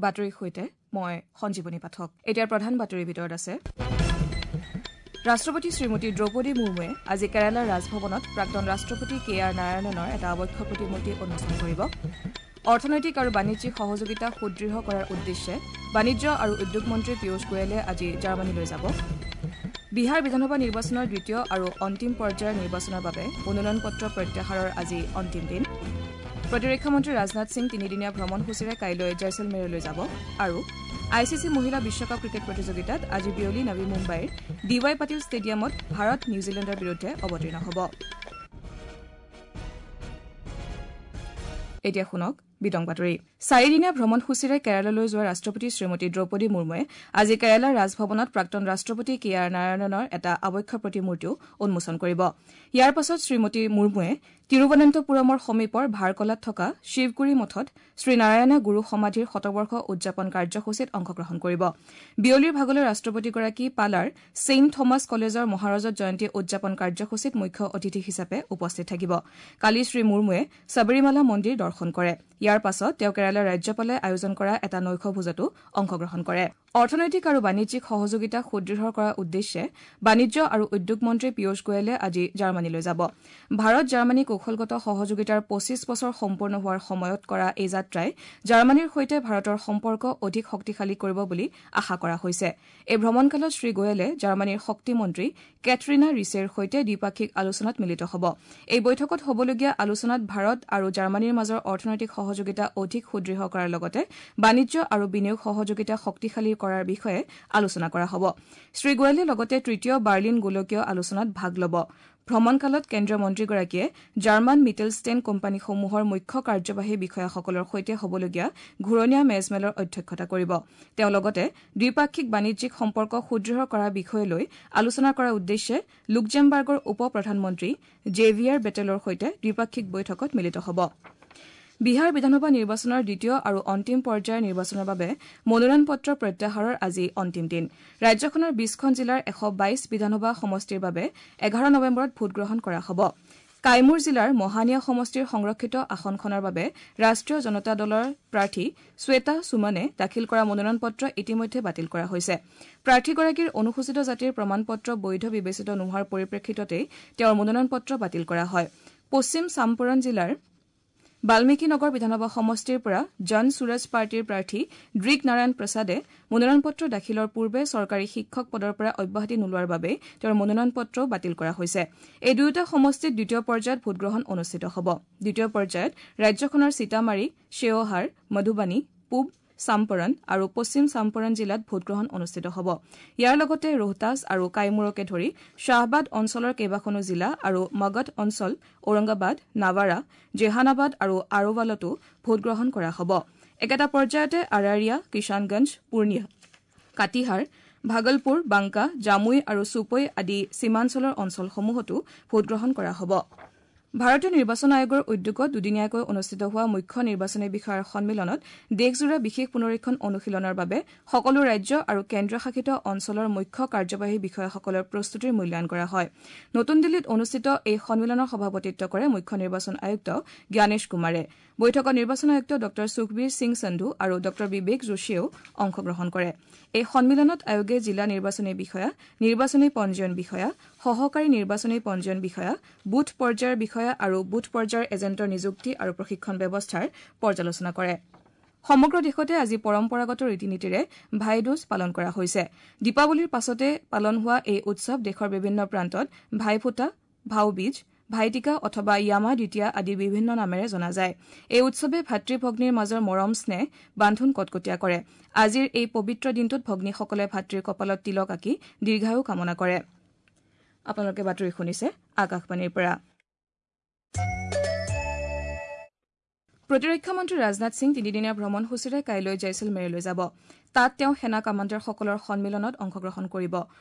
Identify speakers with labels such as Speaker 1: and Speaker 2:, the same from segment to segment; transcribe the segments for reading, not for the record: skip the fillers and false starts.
Speaker 1: বাতৰিৰ সৈতে মই সঞ্জীৱনী পাঠক। এতিয়াৰ প্ৰধান বাতৰিৰ ভিতৰত আছে ৰাষ্ট্ৰপতি শ্ৰীমতী দ্ৰৌপদী মুৰ্মুৱে আজি কেৰালাৰ ৰাজভৱনত প্ৰাক্তন ৰাষ্ট্ৰপতি কে আৰ নাৰায়ণনৰ এটা আৱক্ষ প্ৰতিমূৰ্তি উন্মোচন কৰিব। অৰ্থনৈতিক আৰু বাণিজ্যিক সহযোগিতা সুদৃঢ় কৰাৰ উদ্দেশ্যে বাণিজ্য আৰু উদ্যোগ মন্ত্ৰী পীয়ুষ গোৱেলে আজি জাৰ্মানীলৈ যাব। বিহাৰ বিধানসভা নিৰ্বাচনৰ দ্বিতীয় আৰু অন্তিম পৰ্যায়ৰ নিৰ্বাচনৰ বাবে মনোনয়ন পত্ৰ প্ৰত্যাহাৰৰ আজি অন্তিম দিন। প্ৰতিৰক্ষা মন্ত্ৰী ৰাজনাথ সিং তিনিদিনীয়া ভ্ৰমণসূচীৰে কাইলৈ জয়ছলমেৰলৈ যাব। আৰু I C C মহিলা বিশ্বকাপ ক্ৰিকেট প্ৰতিযোগিতাত আজি বিয়লি নৱী মুম্বাইৰ ডি ৱাই পাটিল ষ্টেডিয়ামত ভাৰত নিউজিলেণ্ডৰ বিৰুদ্ধে অৱতীৰ্ণ হ'ব। এতিয়া শুনক বিতং বাতৰি। চাৰিদিনীয়া ভ্ৰমণসূচীৰে কেৰালালৈ যোৱা ৰাষ্ট্ৰপতি শ্ৰীমতী দ্ৰৌপদী মুৰ্মুৱে আজি কেৰালাৰ ৰাজভৱনত প্ৰাক্তন ৰাষ্ট্ৰপতি কে আৰ নাৰায়ণনৰ এটা আৱক্ষ প্ৰতিমূৰ্তিও উন্মোচন কৰিব। ইয়াৰ পাছত শ্ৰীমতী মুৰ্মুৱে তিৰুৱনন্তপুৰমৰ সমীপৰ ভাৰকলাত থকা শিৱগুৰি মঠত শ্ৰীনাৰায়ণা গুৰু সমাধিৰ শতবৰ্ষ উদযাপন কাৰ্যসূচীত অংশগ্ৰহণ কৰিব। বিয়লিৰ ভাগলৈ ৰাষ্ট্ৰপতিগৰাকী পালাৰ ছেইণ্ট থমাছ কলেজৰ মহাৰজত জয়ন্তী উদযাপন কাৰ্যসূচীত মুখ্য অতিথি হিচাপে উপস্থিত থাকিব। কালি শ্ৰী মুৰ্মুৱে সবৰীমালা মন্দিৰ দৰ্শন কৰে। ইয়াৰ পাছত তেওঁ কেৰালাৰ ৰাজ্যপালে আয়োজন কৰা এটা নৈশ ভোজতো অংশগ্ৰহণ কৰে। অৰ্থনৈতিক আৰু বাণিজ্যিক সহযোগিতা সুদৃঢ় কৰাৰ উদ্দেশ্যে বাণিজ্য আৰু উদ্যোগ মন্ত্ৰী পীয়ুষ গোৱেলে আজি জাৰ্মানীলৈ যাব। ভাৰত জাৰ্মানী কৌশলগত সহযোগিতাৰ ২৫ বছৰ সম্পূৰ্ণ হোৱাৰ সময়ত কৰা এই যাত্ৰাই জাৰ্মানীৰ সৈতে ভাৰতৰ সম্পৰ্ক অধিক শক্তিশালী কৰিব বুলি আশা কৰা হৈছে। এই ভ্ৰমণকালত শ্ৰী গোৱেলে জাৰ্মানীৰ শক্তিমন্ত্ৰী কেথৰিনা ৰিছেৰ সৈতে দ্বিপাক্ষিক আলোচনাত মিলিত হ'ব। এই বৈঠকত হ'বলগীয়া আলোচনাত ভাৰত আৰু জাৰ্মানীৰ মাজৰ অৰ্থনৈতিক সহযোগিতা অধিক সুদৃঢ় কৰাৰ লগতে বাণিজ্য আৰু বিনিয়োগ সহযোগিতা শক্তিশালী কৰাৰ বিষয়ে আলোচনা কৰা হ'ব। শ্ৰী গোৱেলে লগতে তৃতীয় বাৰ্লিন গোলকীয় আলোচনাত ভাগ ল'ব। ভ্ৰমণকালত কেন্দ্ৰীয় মন্ত্ৰীগৰাকীয়ে জাৰ্মান মিটেলষ্টেন কোম্পানীসমূহৰ মুখ্য কাৰ্যবাহী বিষয়াসকলৰ সৈতে হ'বলগীয়া ঘূৰণীয়া মেজমেলৰ অধ্যক্ষতা কৰিব। তেওঁ লগতে দ্বিপাক্ষিক বাণিজ্যিক সম্পৰ্ক সুদৃঢ় কৰাৰ বিষয়লৈ আলোচনা কৰাৰ উদ্দেশ্যে লুক্সেমবাৰ্গৰ উপ প্ৰধানমন্ত্ৰী জেভিয়াৰ বেটেলৰ সৈতে দ্বিপাক্ষিক বৈঠকত মিলিত হ'ব। বিহাৰ বিধানসভা নিৰ্বাচনৰ দ্বিতীয় আৰু অন্তিম পৰ্যায়ৰ নিৰ্বাচনৰ বাবে মনোনয়ন পত্ৰ প্ৰত্যাহাৰৰ আজি অন্তিম দিন। ৰাজ্যখনৰ ২০খন জিলাৰ ১২২ বিধানসভা সমষ্টিৰ বাবে ১১ নৱেম্বৰত ভোটগ্ৰহণ কৰা হ'ব। কাইমুৰ জিলাৰ মহানিয়া সমষ্টিৰ সংৰক্ষিত আসনখনৰ বাবে ৰাষ্ট্ৰীয় জনতা দলৰ প্ৰাৰ্থী শ্বেতা সুমনে দাখিল কৰা মনোনয়ন পত্ৰ ইতিমধ্যে বাতিল কৰা হৈছে। প্ৰাৰ্থীগৰাকীৰ অনুসূচিত জাতিৰ প্ৰমাণ পত্ৰ বৈধ বিবেচিত নোহোৱাৰ পৰিপ্ৰেক্ষিততেই তেওঁৰ মনোনয়ন পত্ৰ বাতিল কৰা হয়। পশ্চিম চাম্পৰণ জিলাৰ বাল্মীকি নগৰ বিধানসভা সমষ্টিৰ পৰা জন সুৰজ পাৰ্টীৰ প্ৰাৰ্থী দৃগ নাৰায়ণ প্ৰসাদে মনোনয়ন পত্ৰ দাখিলৰ পূৰ্বে চৰকাৰী শিক্ষক পদৰ পৰা অব্যাহতি নোলোৱাৰ বাবে তেওঁৰ মনোনয়ন পত্ৰও বাতিল কৰা হৈছে। এই দুয়োটা সমষ্টিত দ্বিতীয় পৰ্যায়ত ভোটগ্ৰহণ অনুষ্ঠিত হ'ব। দ্বিতীয় পৰ্যায়ত ৰাজ্যখনৰ সীতামাৰী, শ্বেওহাৰ, মধুবানী, পূব চাম্পৰণ আৰু পশ্চিম চাম্পৰণ জিলাত ভোটগ্ৰহণ অনুষ্ঠিত হ'ব। ইয়াৰ লগতে ৰোহতাছ আৰু কাইমুৰকে ধৰি শ্বাহবাদ অঞ্চলৰ কেইবাখনো জিলা আৰু মগধ অঞ্চল, ঔৰংগাবাদ, নাৱাৰা, জেহানাবাদ আৰু আৰোৱালতো ভোটগ্ৰহণ কৰা হ'ব। একেটা পৰ্যায়তে আৰাৰিয়া, কিষাণগঞ্জ, পূৰ্ণিয়া, কাটিহাৰ, ভাগলপুৰ, বাংকা, জামুই আৰু চুপৈ আদি সীমাঞ্চলৰ অঞ্চলসমূহতো ভোটগ্ৰহণ কৰা হ'ব। ভাৰতীয় নিৰ্বাচন আয়োগৰ উদ্যোগত দুদিনীয়াকৈ অনুষ্ঠিত হোৱা মুখ্য নিৰ্বাচনী বিষয়াৰ সন্মিলনত দেশজোৰা বিশেষ পুনৰীক্ষণ অনুশীলনৰ বাবে সকলো ৰাজ্য আৰু কেন্দ্ৰীয়শাসিত অঞ্চলৰ মুখ্য কাৰ্যবাহী বিষয়াসকলৰ প্ৰস্তুতিৰ মূল্যায়ন কৰা হয়। নতুন দিল্লীত অনুষ্ঠিত এই সন্মিলনৰ সভাপতিত্ব কৰে মুখ্য নিৰ্বাচন আয়ুক্ত জ্ঞানেশ কুমাৰে। বৈঠকত নিৰ্বাচন আয়ুক্ত ডঃ সুখবীৰ সিং সন্ধু আৰু ডঃ বিবেক যোশীয়েও অংশগ্ৰহণ কৰে। এই সন্মিলনত আয়োগে জিলা নিৰ্বাচনী বিষয়া, নিৰ্বাচনী পঞ্জীয়ন বিষয়া, সহকাৰী নিৰ্বাচনী পঞ্জীয়ন বিষয়া, বুথ পৰ্যায়ৰ বিষয়া আৰু বুথ পৰ্যায়ৰ এজেণ্টৰ নিযুক্তি আৰু প্ৰশিক্ষণ ব্যৱস্থাৰ পৰ্যালোচনা কৰে। সমগ্ৰ দেশতে আজি পৰম্পৰাগত ৰীতি নীতিৰে ভাইদুজ পালন কৰা হৈছে। দীপাৱলীৰ পাছতে পালন হোৱা এই উৎসৱ দেশৰ বিভিন্ন প্ৰান্তত ভাইফোঁটা, ভাওবীজ, ভাইটিকা অথবা য়ামা দ্বিতীয়া আদি বিভিন্ন নামেৰে জনা যায়। এই উৎসৱে ভাতৃ ভগ্নীৰ মাজৰ মৰম স্নেহ বান্ধোন কটকটীয়া কৰে। আজিৰ এই পবিত্ৰ দিনটোত ভগ্নীসকলে ভাতৃৰ কপালত তিলক আঁকি দীৰ্ঘায়ু কামনা কৰে। আপোনালোকে বাতৰি শুনিছে আকাশবাণীৰ পৰা। প্ৰতিৰক্ষা মন্ত্ৰী ৰাজনাথ সিং তিনিদিনীয়া ভ্ৰমণসূচীৰে কাইলৈ জয়ছলমেৰলৈ যাব। তাত তেওঁ সেনা কামাণ্ডাৰসকলৰ সন্মিলনত অংশগ্ৰহণ কৰিব।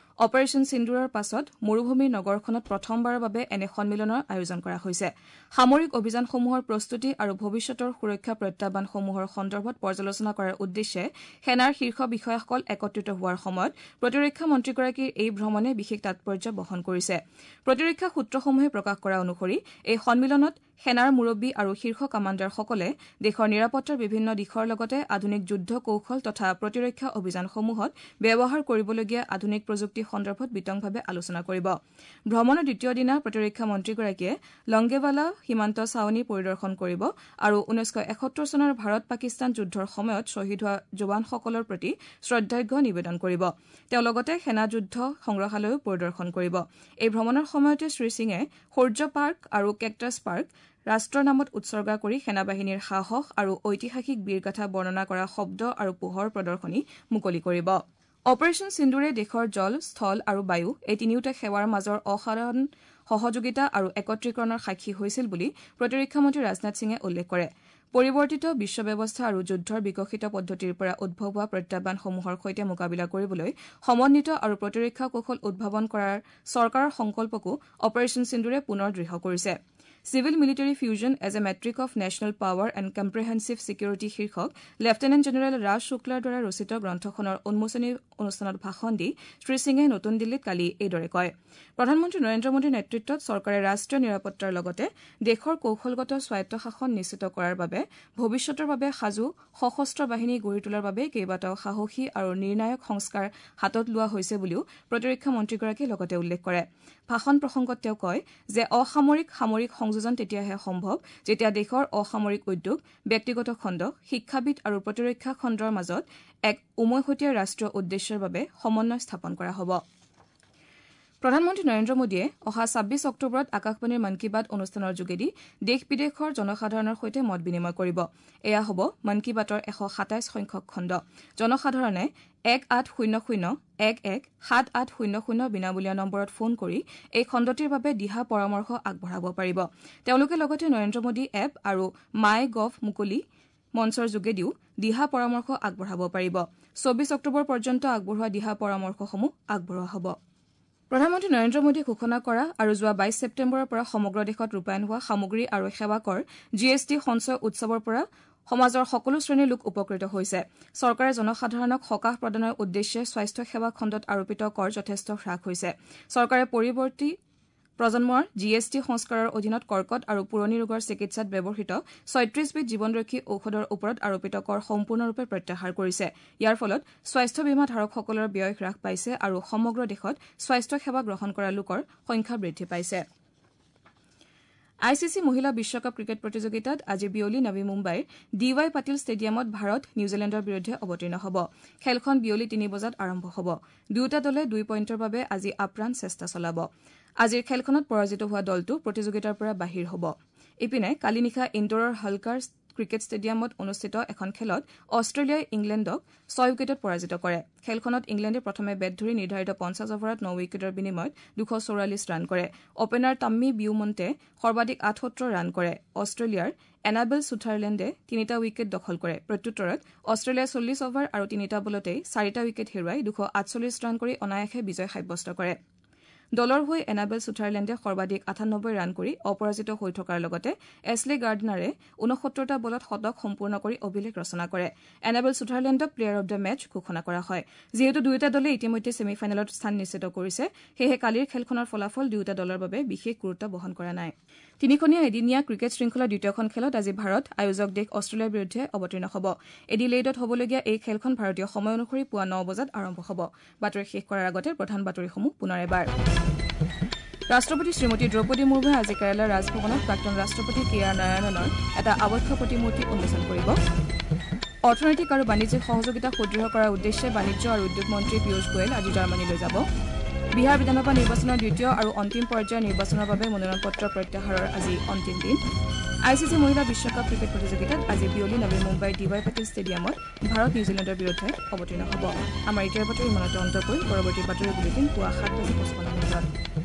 Speaker 1: অপাৰেচন সিন্দুৰৰ পাছত মৰুভূমিৰ নগৰখনত প্ৰথমবাৰৰ বাবে এনে সন্মিলনৰ আয়োজন কৰা হৈছে। সামৰিক অভিযানসমূহৰ প্ৰস্তুতি আৰু ভৱিষ্যতৰ সুৰক্ষা প্ৰত্যাহ্বানসমূহৰ সন্দৰ্ভত পৰ্যালোচনা কৰাৰ উদ্দেশ্যে সেনাৰ শীৰ্ষ বিষয়াসকল একত্ৰিত হোৱাৰ সময়ত প্ৰতিৰক্ষা মন্ত্ৰীগৰাকীৰ এই ভ্ৰমণে বিশেষ তাৎপৰ্য বহন কৰিছে। প্ৰতিৰক্ষা সূত্ৰসমূহে প্ৰকাশ কৰা অনুসৰি এই সন্মিলনত সেনাৰ মুৰব্বী আৰু শীৰ্ষ কামাণ্ডাৰসকলে দেশৰ নিৰাপত্তাৰ বিভিন্ন দিশৰ লগতে আধুনিক যুদ্ধ কৌশল তথা প্ৰতিৰক্ষা অভিযানসমূহত ব্যৱহাৰ কৰিবলগীয়া আধুনিক প্ৰযুক্তি সন্দৰ্ভত বিতংভাৱে আলোচনা কৰিব। ভ্ৰমণৰ দ্বিতীয় দিনা প্ৰতিৰক্ষা মন্ত্ৰীগৰাকীয়ে লংগেৱালা সীমান্ত ছাউনী পৰিদৰ্শন কৰিব আৰু 1971 চনৰ ভাৰত পাকিস্তান যুদ্ধৰ সময়ত শ্বহীদ হোৱা জোৱানসকলৰ প্ৰতি শ্ৰদ্ধাৰ্ঘ্য নিবেদন কৰিব। তেওঁ লগতে সেনা যুদ্ধ সংগ্ৰহালয়ো পৰিদৰ্শন কৰিব। এই ভ্ৰমণৰ সময়তে শ্ৰীসিঙে সূৰ্য পাৰ্ক আৰু কেকটাছ পাৰ্ক ৰাষ্ট্ৰৰ নামত উৎসৰ্গা কৰি সেনাবাহিনীৰ সাহস আৰু ঐতিহাসিক বীৰগাথা বৰ্ণনা কৰা শব্দ আৰু পোহৰ প্ৰদৰ্শনী মুকলি কৰিব। অপাৰেচন সিন্দুৰে দেশৰ জল, স্থল আৰু বায়ু এই তিনিওটা সেৱাৰ মাজৰ অসাধাৰণ সহযোগিতা আৰু একত্ৰীকৰণৰ সাক্ষী হৈছিল বুলি প্ৰতিৰক্ষা মন্ত্ৰী ৰাজনাথ সিঙে উল্লেখ কৰে। পৰিৱৰ্তিত বিশ্ব ব্যৱস্থা আৰু যুদ্ধৰ বিকশিত পদ্ধতিৰ পৰা উদ্ভৱ হোৱা প্ৰত্যাহ্বানসমূহৰ সৈতে মোকাবিলা কৰিবলৈ সমন্বিত আৰু প্ৰতিৰক্ষা কৌশল উদ্ভাৱন কৰাৰ চৰকাৰৰ সংকল্পকো অপাৰেচন সিন্দুৰে পুনৰ দৃঢ় কৰিছে। Civil military fusion as a metric of national power and comprehensive security শীৰ্ষক লেফটেনেণ্ট জেনেৰেল ৰাজ শুক্লাৰ দ্বাৰা ৰচিত গ্ৰন্থখনৰ উন্মোচনী অনুষ্ঠানত ভাষণ দি শ্ৰীসিঙে নতুন দিল্লীত কালি এইদৰে কয়। প্ৰধানমন্ত্ৰী নৰেন্দ্ৰ মোদীৰ নেতৃত্বত চৰকাৰে ৰাষ্ট্ৰীয় নিৰাপত্তাৰ লগতে দেশৰ কৌশলগত স্বায়ত্ত শাসন নিশ্চিত কৰাৰ বাবে ভৱিষ্যতৰ বাবে সাজু সশস্ত্ৰ বাহিনী গঢ়ি তোলাৰ বাবে কেইবাটাও সাহসী আৰু নিৰ্ণায়ক সংস্কাৰ হাতত লোৱা হৈছে বুলিও প্ৰতিৰক্ষা মন্ত্ৰীগৰাকীয়ে লগতে উল্লেখ কৰে। ভাষণ প্ৰসংগত তেওঁ কয় যে অসামৰিক সামৰিক সংযোজন তেতিয়াহে সম্ভৱ যেতিয়া দেশৰ অসামৰিক উদ্যোগ, ব্যক্তিগত খণ্ড, শিক্ষাবিদ আৰু প্ৰতিৰক্ষা খণ্ডৰ মাজত এক উমৈহতীয়া ৰাষ্ট্ৰীয় উদ্দেশ্যৰ বাবে সমন্বয় স্থাপন কৰা হ'ব। প্ৰধানমন্ত্ৰী নৰেন্দ্ৰ মোদীয়ে অহা 26 অক্টোবৰত আকাশবাণীৰ মন কী বাত অনুষ্ঠানৰ যোগেদি দেশ বিদেশৰ জনসাধাৰণৰ সৈতে মত বিনিময় কৰিব। এয়া হ'ব মন কী বাতৰ 127 সংখ্যক খণ্ড। জনসাধাৰণে 1800 11 7800 বিনামূলীয়া নম্বৰত ফোন কৰি এই খণ্ডটিৰ বাবে দিহা পৰামৰ্শ আগবঢ়াব পাৰিব। তেওঁলোকে লগতে নৰেন্দ্ৰ মোদী এপ আৰু মাই গভ মুকলি মঞ্চৰ যোগেদিও দিহা পৰামৰ্শ আগবঢ়াব পাৰিব। 24 অক্টোবৰ পৰ্যন্ত আগবঢ়োৱা দিহা পৰামৰ্শসমূহ আগবঢ়োৱা হ'ব। প্ৰধানমন্ত্ৰী নৰেন্দ্ৰ মোদীয়ে ঘোষণা কৰা আৰু যোৱা 22 ছেপ্টেম্বৰৰ পৰা সমগ্ৰ দেশত ৰূপায়ণ হোৱা সামগ্ৰী আৰু সেৱা কৰ জি এছ টি সঞ্চয় উৎসৱৰ পৰা সমাজৰ সকলো শ্ৰেণীৰ লোক উপকৃত হৈছে। চৰকাৰে জনসাধাৰণক সকাহ প্ৰদানৰ উদ্দেশ্যে স্বাস্থ্য সেৱা খণ্ডত আৰোপিত কৰ যথেষ্ট হ্ৰাস হৈছে। চৰকাৰে পৰিৱৰ্তী প্ৰজন্মৰ জি এছ টি সংস্কাৰৰ অধীনত কৰ্কট আৰু পুৰণি ৰোগৰ চিকিৎসাত ব্যৱহৃত 36বিধ জীৱনৰক্ষী ঔষধৰ ওপৰত আৰোপিত কৰ সম্পূৰ্ণৰূপে প্ৰত্যাহাৰ কৰিছে। ইয়াৰ ফলত স্বাস্থ্য বীমা ধাৰকসকলৰ ব্যয় হ্ৰাস পাইছে আৰু সমগ্ৰ দেশত স্বাস্থ্য সেৱা গ্ৰহণ কৰা লোকৰ সংখ্যা বৃদ্ধি পাইছে। I C C মহিলা বিশ্বকাপ ক্ৰিকেট প্ৰতিযোগিতাত আজি বিয়লি নৱী মুম্বাইৰ ডি ৱাই পাটিল ষ্টেডিয়ামত ভাৰত নিউজিলেণ্ডৰ বিৰুদ্ধে অৱতীৰ্ণ হ'ব। খেলখন বিয়লি 3 বজাত আৰম্ভ হ'ব। দুয়োটা দলে 2 পইণ্টৰ বাবে আজি আপ্ৰাণ চেষ্টা চলাব। আজিৰ খেলখনত পৰাজিত হোৱা দলটো প্ৰতিযোগিতাৰ পৰা বাহিৰ হ'ব। ইপিনে কালি নিশা ইণ্ডোৰৰ হালকাৰ ক্ৰিকেট ষ্টেডিয়ামত অনুষ্ঠিত এখন খেলত অষ্ট্ৰেলিয়াই ইংলেণ্ডক 6 উইকেটত পৰাজিত কৰে। খেলখনত ইংলেণ্ডে প্ৰথমে বেট ধৰি নিৰ্ধাৰিত 50 অভাৰত 9 উইকেটৰ বিনিময়ত 244 ৰান কৰে। অপেনাৰ টাম্মি বিউমণ্টে সৰ্বাধিক 78 ৰান কৰে। অষ্ট্ৰেলিয়াৰ এনাবেল ছুথাৰলেণ্ডে 3টা উইকেট দখল কৰে। প্ৰত্যুত্তৰত অষ্ট্ৰেলিয়াই 40 অভাৰ আৰু 3টা বলতেই 4টা উইকেট হেৰুৱাই 248 ৰান কৰি অনায়াসে বিজয় সাব্যস্ত কৰে। দলৰ হৈ এনাবেল ছুথাৰলেণ্ডে সৰ্বাধিক 98 ৰান কৰি অপৰাজিত হৈ থকাৰ লগতে এছলে গাৰ্ডনাৰে 69টা বলত শতক সম্পূৰ্ণ কৰি অভিলেখ ৰচনা কৰে। এনাবেল ছুথাৰলেণ্ডক প্লেয়াৰ অব the match ঘোষণা কৰা হয়। যিহেতু দুয়োটা দলে ইতিমধ্যে ছেমি ফাইনেলত স্থান নিশ্চিত কৰিছে, সেয়েহে কালিৰ খেলখনৰ ফলাফল দুয়োটা দলৰ বাবে বিশেষ গুৰুত্ব বহন কৰা নাই। তিনিখনীয়া এদিনীয়া ক্ৰিকেট শৃংখলাৰ দ্বিতীয়খন খেলত আজি ভাৰত আয়োজক দেশ অষ্ট্ৰেলিয়াৰ বিৰুদ্ধে অৱতীৰ্ণ হ'ব। এডিলেইডত হ'বলগীয়া এই খেলখন ভাৰতীয় সময় অনুসৰি পুৱা 9 বজাত আৰম্ভ হ'ব। বাতৰি শেষ কৰাৰ আগতে প্ৰধান বাতৰিসমূহ পুনৰ এবাৰ। ৰাষ্ট্ৰপতি শ্ৰীমতী দ্ৰৌপদী মুৰ্মুৱে আজি কেৰালাৰ ৰাজভৱনত প্ৰাক্তন ৰাষ্ট্ৰপতি কে আৰ নাৰায়ণনৰ এটা আৱক্ষ প্ৰতিমূৰ্তি উন্মোচন কৰিব। অৰ্থনৈতিক আৰু বাণিজ্যিক সহযোগিতা সুদৃঢ় কৰাৰ উদ্দেশ্যে বাণিজ্য আৰু উদ্যোগ মন্ত্ৰী পীয়ুষ গোৱেল আজি জাৰ্মানীলৈ যাব। বিহাৰ বিধানসভা নিৰ্বাচনৰ দ্বিতীয় আৰু অন্তিম পৰ্যায়ৰ নিৰ্বাচনৰ বাবে মনোনয়ন পত্ৰ প্ৰত্যাহাৰৰ আজি অন্তিম দিন। I C C মহিলা বিশ্বকাপ ক্ৰিকেট প্ৰতিযোগিতাত আজি বিয়লি নৱী মুম্বাইৰ ডি ৱাই পাটিল ষ্টেডিয়ামত ভাৰত নিউজিলেণ্ডৰ বিৰুদ্ধে অৱতীৰ্ণ হ'ব। আমাৰ এতিয়াৰ বাতৰি ইমানতে অন্ত কৰি পৰৱৰ্তী বাতৰি বুলেটিন পুৱা 7:55।